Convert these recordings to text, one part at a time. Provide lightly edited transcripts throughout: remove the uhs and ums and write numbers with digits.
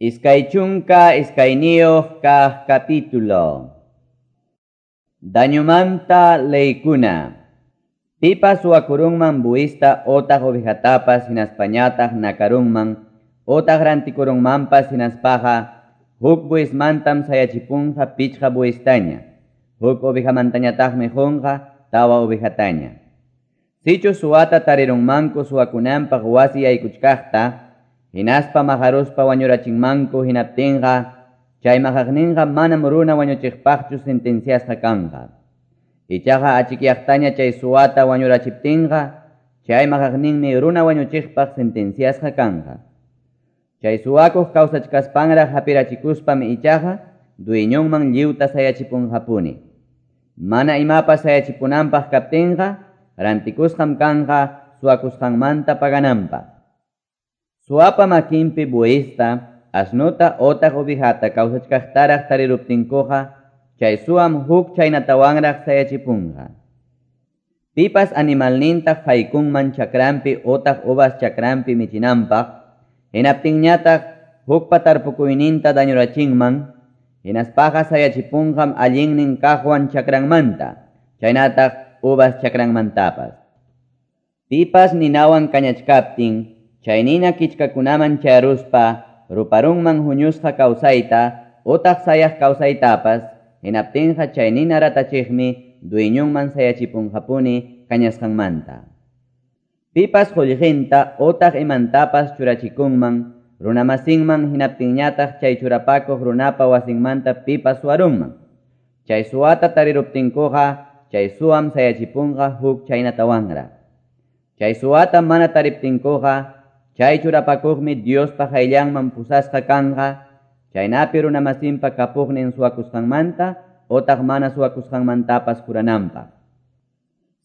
22 kaq capítulo. Dañumanta leykuna. Pipas suwakurunman buista otaq ovejatapas hinaspañataq nakarunman otaq rantikurunmanpas hinaspaqa huk buismantam sayachipunqa pichqa buistaña, huk ovejamantañataqmi qunqa tawa ovejataña. Sichu suwata tarirunmanku suwakunanpaq wasi yaykuchkaqta, hinaspa maqaruspa wañurachinmanku hinaptinqa, chay maqaqninqa manam runa wañuchiqpaqchu sentenciasqa kanqa. Ichaqa achikyaqtaña chay suwata wañurachiptinqa, chay maqaqninmi runa wañuchiqpaq sentenciasqa kanqa. Chay suwakuq kawsachkaspanraq hapirachikuspam ichaqa dueñonman lliwta sayachipunqapuni. Mana imapas sayachipunanpaq kaptinqa, rantikusqam kanqa suwakusqanmanta pagananpaq. Suwapa makinpi buista, asnuta otaq ovejata kawsachkaqtaraq tariruptinkuqa, chay suwam huk chaynatawanraq sayachipunqa. Pipas animalninta haykunman chakranpi otaq uvas chakranpi michinanpaq, hinaptinñataq hukpa tarpukuyninta dañurachinman, hinaspaqa sayachipunqam allinnin kaqwan chakranmanta, chaynataq uvas chakranmantapas. Pipas ninawan kañachkaptin, chay nina kichkakunaman chayaruspa, ruparunman huñusqa kawsayta, otaq sayaq kawsaytapas, hinaptinqa chay nina ratachiqmi dueñonman sayachipunqapuni kañasqanmanta. Pipas qullqinta otaq imantapas churachikunman, runamasinman hinaptinñataq chay churapakuq runapa wasinmanta pipas suwarunman. Chay suwata tariruptinkuqa, chay suwam sayachipunqa huk chaynatawanraq. Chay suwata mana tariptinkuqa, chay churapakuqmi Diospa qayllanman pusasqa kanqa, chaynapi runamasinpa kapuqnin suwakusqanmanta otaq mana suwakusqanmantapas jurananpaq.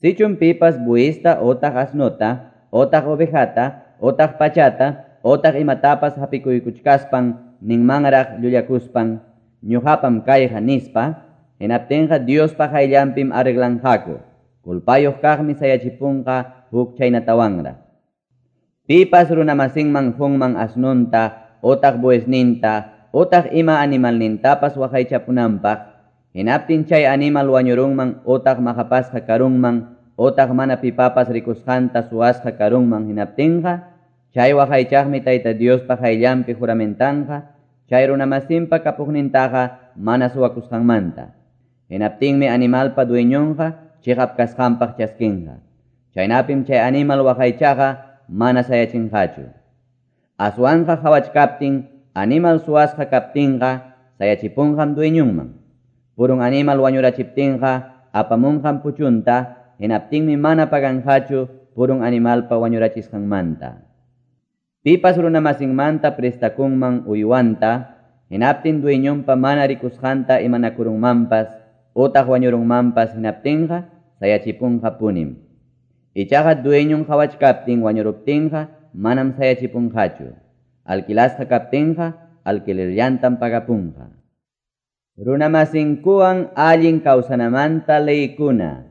Sichum pipas buista otaq asnuta, otaq ovejata, otaq pachata, otaq imatapas hapikuykuchkaspan ninmanraq llullakuspan, ñuqapam kayqa nispa, hinaptinqa Diospa qayllanpim arreglanqaku, culpayuq kaqmi sayachipunqa huk chaynatawanraq. Pipas runamasinman qunman asnunta, otaq buesninta, otaq ima animalnintapas waqaychapunanpaq, hinaptin chay animal wañurunman otaq maqapasqa karunman, otaq mana pipapas rikusqanta suwasqa karunman hinaptinqa, chay waqaychaqmi Tayta Diospa qayllanpi juramentanqa, chay runamasinpa kapuqnintaqa mana suwakusqanmanta. Hinaptinmi animalpa dueñonqa chiqap kasqanpaq chaskinqa. Chaynapim chay animal waqaychaqa mana sayachinqachu. Aswanqa qhawachkaptin, animal suwasqa kaptinqa, sayachipunqam dueñunman. Purun animal wañurachiptinqa, apamunqam puchunta, hinaptinmi mana paganqachu purun animalpa wañurachisqanmanta. Pipas runamasinmanta prestakunman uywanta, hinaptin dueñonpa mana rikusqanta imanakurunmanpas, otaq wañurunmanpas hinaptinqa, sayachipunqapunim. Ichaqa dueñon qhawachkaptin wañuruptinqa, manam sayachipunqachu. Alquilasqa kaptinqa, alquilerllantam pagapunqa. Runamasinkuwan allin kawsanamanta leykuna.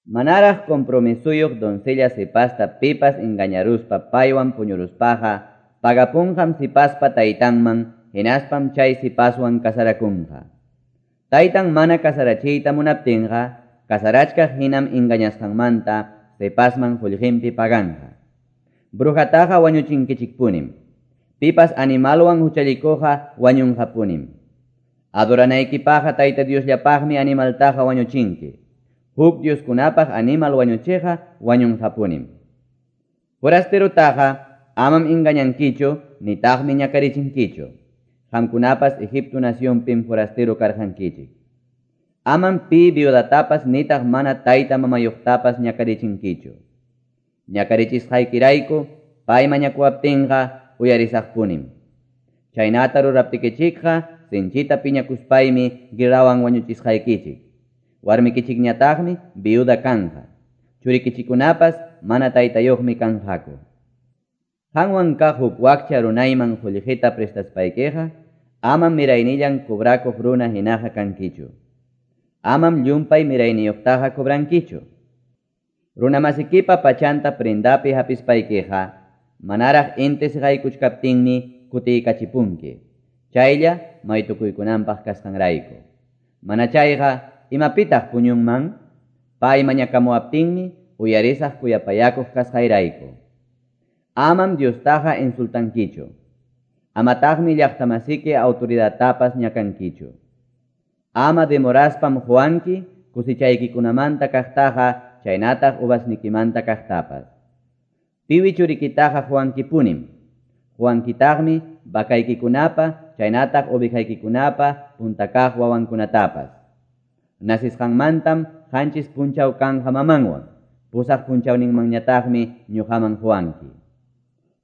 Manaraq compromisuyuq doncella sipasta pipas engañaruspa paywan puñuruspaqa, pagapunqam sipaspa taytanman, hinaspam chay sipaswan kasarakunqa. Taytan mana kasarachiyta munaptinqa, kasarachkaq hinam engañasqanmanta sipasman qullqinpi paganqa. Brujataqa wañuchinkichikpunim. Pipas animalwan huchallikuqqa wañunqapunim. Adoranaykipaqqa Tayta Diosllapaqmi animaltaqa wañuchinki. Huk dioskunapaq animal wañuchiqqa wañunqapunim. Forasterutaqa amam engañankichu nitaqmi ñakarichinkichu. Qamkunapas Egipto nacionpim forastero karqankichik. Amam pi viudatapas nitaq mana tayta mamayuqtapas ñakarichinkichu. Ñakarichisqaykirayku pay mañakuwaptinqa uyarisaqpunim. Chaynata ruraptikichikqa sinchita piñakuspaymi guerrawan wañuchisqaykichik. Warmikichikñataqmi viuda kanqa. Churikichikunapas mana taytayuqmi kanqaku. Qanwan kaq huk wakcha runayman qullqita prestaspaykiqa, amam miraynillan cobrakuq runa hinaqa kankichu. Amam llumpay mirayniyuqtaqa cobrankichu. Runamasikipa pachanta prendapi hapispaykiqa, manaraq inti siqaykuchkaptinmi kutiykachipunki, chaylla maytukuykunanpaq kasqanrayku. Mana chayqa, imapitaq puñunman? Pay mañakamuwaptinmi uyarisaq kuyapayakuq kasqayrayku. Amam Diostaqa insultankichu. Amataqmi llaqtamasiki autoridadtapas ñakankichu. Ama demoraspam qowanki cosechaykikunamanta kaqtaqa chaynataq uvasnikimanta kaqtapas. Piwi churikitaqa qowankipunim. Qowankitaqmi vacaykikunapa chaynataq ovejaykikunapa punta kaq wawankunatapas. Nacesqanmantam 7 punchaw kanqa mamanwan, 8 punchawninmanñataqmi ñuqaman qowanki.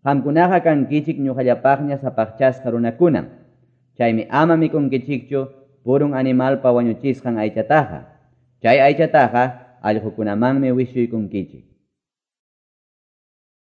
Qamkunaqa kankichik ñuqallapaqña sapaqchasqa runakunam. Chaymi ama mikunkichikchu purun animalpa wañuchisqan aychataqa. Chay aychataqa allqukunamanmi wischuykunkichik.